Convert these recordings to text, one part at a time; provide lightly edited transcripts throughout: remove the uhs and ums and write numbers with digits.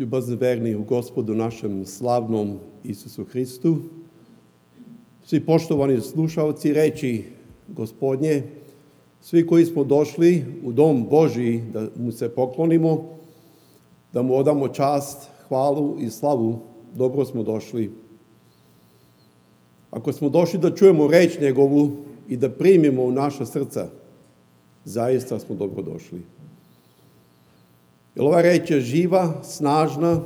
Ljubazni verni u Gospodu našem slavnom Isusu Hristu, svi poštovani slušalci reči Gospodnje, svi koji smo došli u dom Božji da mu se poklonimo, da mu odamo čast, hvalu i slavu, dobro smo došli. Ako smo došli da čujemo reč njegovu i da primimo u naša srca, zaista smo dobro došli. Jer ova reč je živa, snažna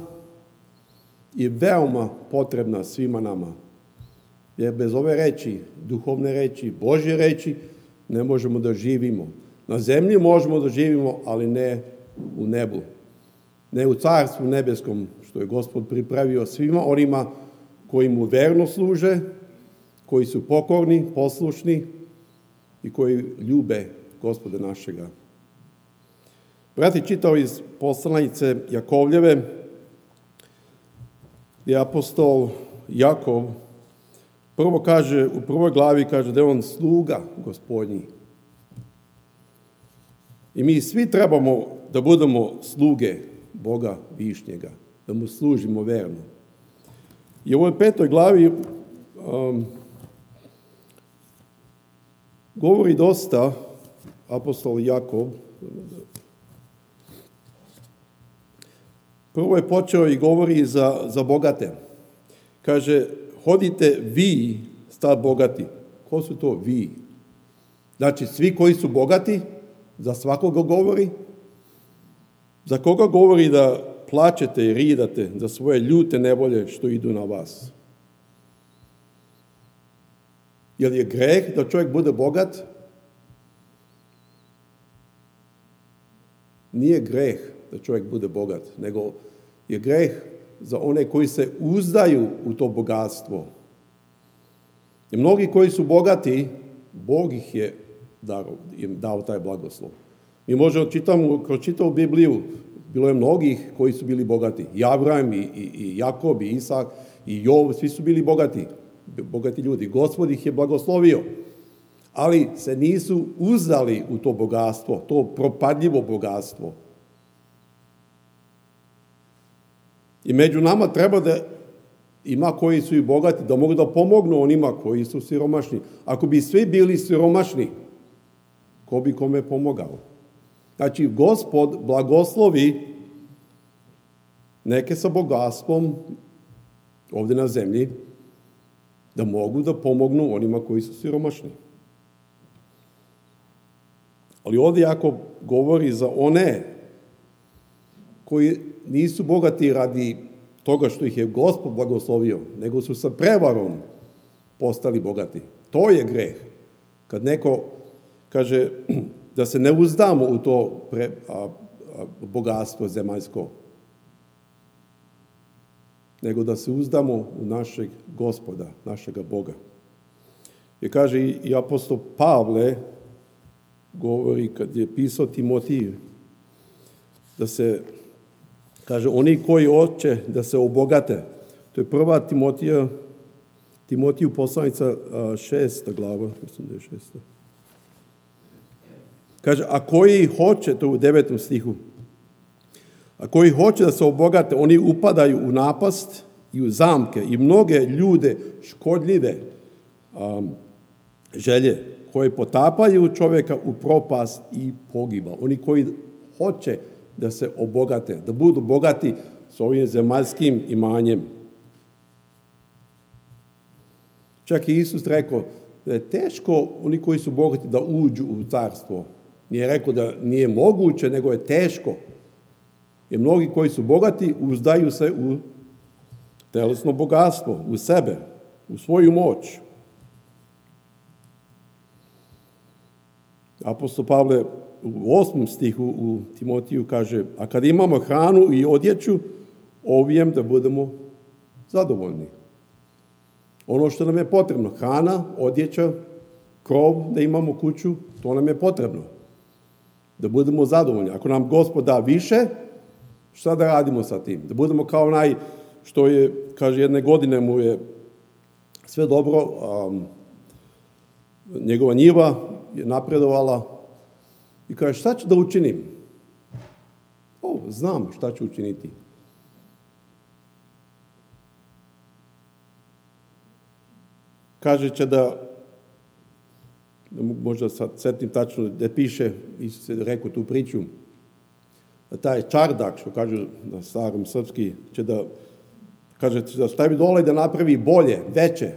i veoma potrebna svima nama. Jer bez ove reči, duhovne reči, Božje reči, ne možemo da živimo. Na zemlji možemo da živimo, ali ne u nebu. Ne u carstvu nebeskom, što je Gospod pripravio svima onima koji mu verno služe, koji su pokorni, poslušni i koji ljube Gospoda našega. Brat je čitao iz poslanice Jakovljeve, gdje apostol Jakov prvo kaže, u prvoj glavi kaže da je on sluga Gospodnji. I mi svi trebamo da budemo sluge Boga Višnjega, da mu služimo verno. I u ovoj 5. glavi govori dosta apostol Jakov. Prvo je počeo i govori za bogate. Kaže, hodite vi, sta bogati. Ko su to vi? Znači, svi koji su bogati, za svakoga govori. Za koga govori da plačete i ridate za svoje ljute nevolje što idu na vas? Je li je greh da čovjek bude bogat? Nije greh da čovjek bude bogat, nego je greh za one koji se uzdaju u to bogatstvo. I mnogi koji su bogati, Bog ih je dao taj blagoslov. Mi možemo kroz čitavu Bibliju, bilo je mnogih koji su bili bogati. I Abraham, i Jakob, i Isak, i Jov, svi su bili bogati ljudi. Gospod ih je blagoslovio. Ali se nisu uzdali u to bogatstvo, to propadljivo bogatstvo. I među nama treba da ima koji su i bogati, da mogu da pomognu onima koji su siromašni. Ako bi svi bili siromašni, ko bi kome pomogao? Znači, Gospod blagoslovi neke sa bogatstvom ovdje na zemlji, da mogu da pomognu onima koji su siromašni. Ali ovdje jako govori za one koji nisu bogati radi toga što ih je Gospod blagoslovio, nego su sa prevarom postali bogati. To je greh. Kad neko kaže da se ne uzdamo u to bogatstvo zemaljsko, nego da se uzdamo u našeg Gospoda, našega Boga. I kaže i apostol Pavle, govori kad je pisao Timotiju, da se, kaže, oni koji hoće da se obogate, to je prva Timotiju poslanica 6. glava, mislim da je 6. Kaže, a koji hoće, to u 9. stihu, a koji hoće da se obogate, oni upadaju u napast i u zamke i mnoge ljude škodljive želje koje potapaju čovjeka u propast i pogibal. Oni koji hoće da se obogate, da budu bogati s ovim zemaljskim imanjem. Čak i Isus rekao da je teško oni koji su bogati da uđu u carstvo. Nije rekao da nije moguće, nego je teško. Jer mnogi koji su bogati uzdaju se u telesno bogatstvo, u sebe, u svoju moć. Apostol Pavle u 8. stihu u Timotiju kaže, a kad imamo hranu i odjeću, ovijem da budemo zadovoljni. Ono što nam je potrebno, hrana, odjeća, krov, da imamo kuću, to nam je potrebno. Da budemo zadovoljni. Ako nam Gospod da više, šta da radimo sa tim? Da budemo kao onaj što je, kaže, jedne godine mu je sve dobro, njegova njiva je napredovala i kaže, šta ću da učinim? Znam šta ću učiniti. kaže će da, možda sad setim tačno gde piše, Isus je rekao tu priču, da taj čardak, što kažu na starom srpski, će da, kaže, da stavi dole i da napravi bolje, veće.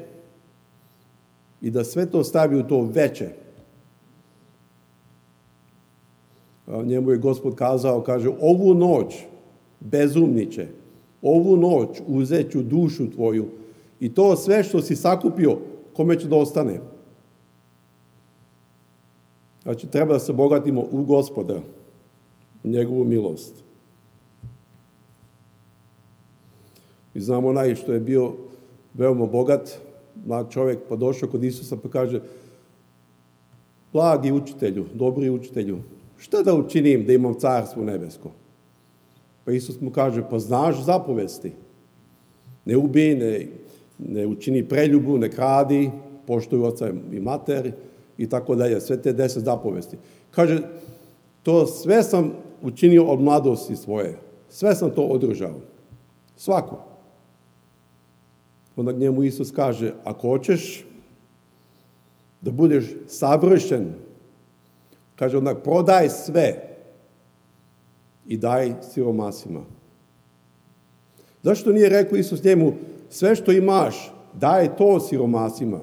I da sve to stavi u to veće. Njemu je Gospod kazao, kaže, ovu noć, bezumniće, ovu noć uzet ću dušu tvoju i to sve što si sakupio, kome će da ostane? Znači, treba da se bogatimo u Gospoda, u njegovu milost. I znamo onaj što je bio veoma bogat, mlad čovjek, pa došao kod Isusa pa kaže, blagi učitelju, dobri učitelju, šta da učinim da imam carstvo nebesko? Pa Isus mu kaže, pa znaš zapovesti. Ne ubij, ne učini preljubu, ne kradi, poštuj oca i mater i tako dalje, sve te 10 zapovesti. Kaže, to sve sam učinio od mladosti svoje. Sve sam to održao. Svako. Onda njemu Isus kaže, ako hoćeš da budeš savršen, kaže, onda prodaj sve i daj siromasima. Zašto nije rekao Isus njemu, sve što imaš, daj to siromasima?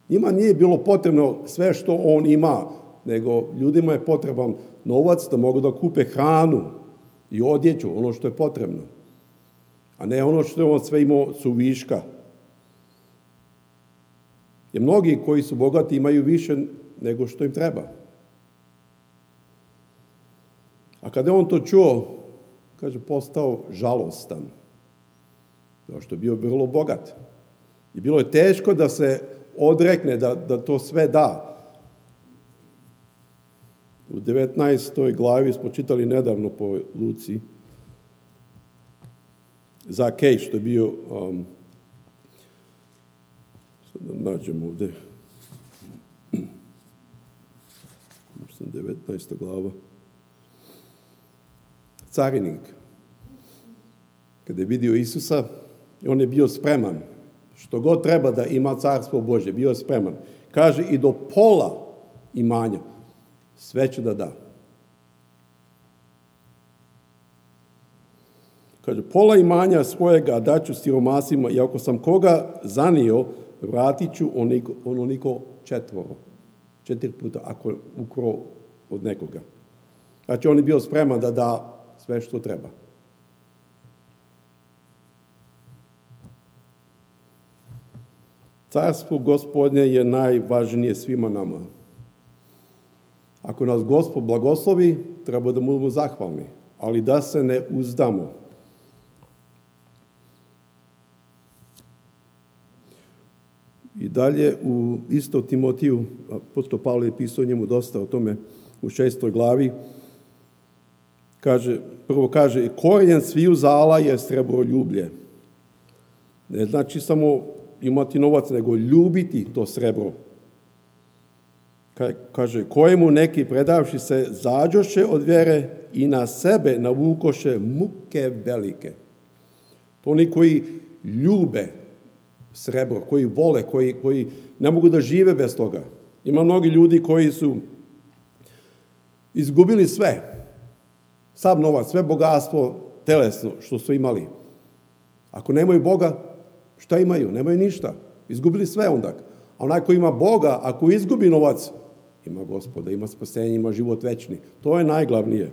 Njima nije bilo potrebno sve što on ima, nego ljudima je potreban novac da mogu da kupe hranu i odjeću, ono što je potrebno. A ne ono što je on sve imao su viška. Jer mnogi koji su bogati imaju više nego što im treba. A kada je on to čuo, kaže, postao žalostan. Zato što je bio vrlo bogat. I bilo je teško da se odrekne, da to sve da. U 19. glavi smo čitali nedavno po Luci Zakej, što je bio, sad da nađemo ovde, 19. glava, carinik. Kada je vidio Isusa, on je bio spreman. Što god treba da ima carstvo Božje, bio je spreman. Kaže, i do pola imanja sve će da da. Kaže, pola imanja svojega daću siromasima i ako sam koga zanio, vratit ću onoliko 4 puta, ako je ukrao od nekoga. Znači, on je bio spreman da da sve što treba. Carstvo Gospodnje je najvažnije svima nama. Ako nas Gospod blagoslovi, treba da budemo zahvalni, ali da se ne uzdamo. I dalje u isto Timotiju, apostol Pavle je pisao njemu dosta o tome u 6. glavi, prvo kaže, korijen sviju zala je srebroljublje. Ne znači samo imati novac, nego ljubiti to srebro. Kaže, kojemu neki predavši se zađoše od vjere i na sebe navukoše muke velike. To oni koji ljube srebro, koji vole, koji ne mogu da žive bez toga. Ima mnogi ljudi koji su izgubili sve. Sav novac, sve bogatstvo telesno što su imali. Ako nemaju Boga, šta imaju? Nemaju ništa. Izgubili sve onda. A onaj ko ima Boga, ako izgubi novac, ima Gospoda, ima spasenje, ima život večni. To je najglavnije.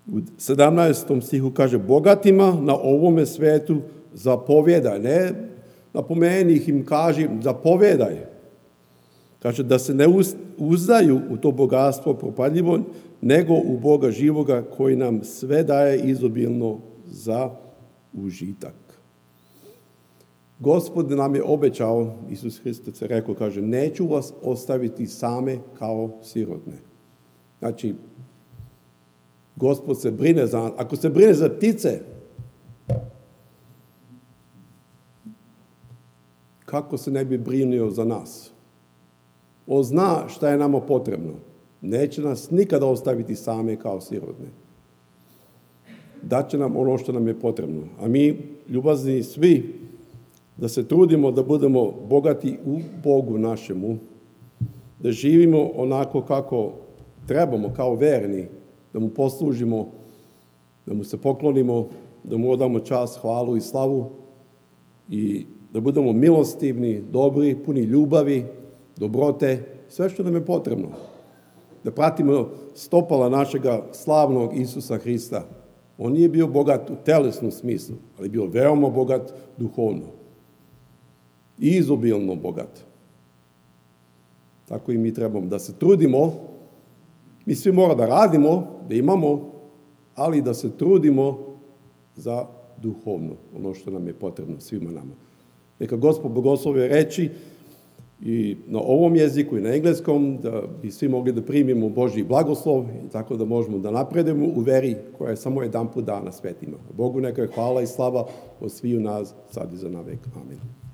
U 17. stihu kaže, bogatima na ovome svetu zapovjedaj. Ne napomeni ih, im kaži, zapovjedaj. Kaže da se ne uzdaju u to bogatstvo propadljivo, nego u Boga živoga koji nam sve daje izobilno za užitak. Gospod nam je obećao, Isus Hristos je rekao, kaže, neću vas ostaviti same kao sirotne. Znači, Gospod se brine za nas. Ako se brine za ptice, kako se ne bi brinio za nas? On zna šta je nama potrebno. Neće nas nikada ostaviti same kao sirotne. Daće nam ono što nam je potrebno. A mi, ljubazni svi, da se trudimo da budemo bogati u Bogu našemu, da živimo onako kako trebamo, kao verni, da mu poslužimo, da mu se poklonimo, da mu odamo čast, hvalu i slavu i da budemo milostivni, dobri, puni ljubavi, dobrote, sve što nam je potrebno. Da pratimo stopala našega slavnog Isusa Hrista. On nije bio bogat u telesnom smislu, ali bio veoma bogat duhovno. I izobilno bogat. Tako i mi trebamo da se trudimo. Mi svi moramo da radimo, da imamo, ali da se trudimo za duhovno, ono što nam je potrebno svima nama. Neka Gospod blagoslovi reči i na ovom jeziku i na engleskom, da bi svi mogli da primimo Božji blagoslov i tako da možemo da napredujemo u veri koja je samo jedan put dana svetima. Bogu neka je hvala i slava od sviju nas sad i za navek. Amen.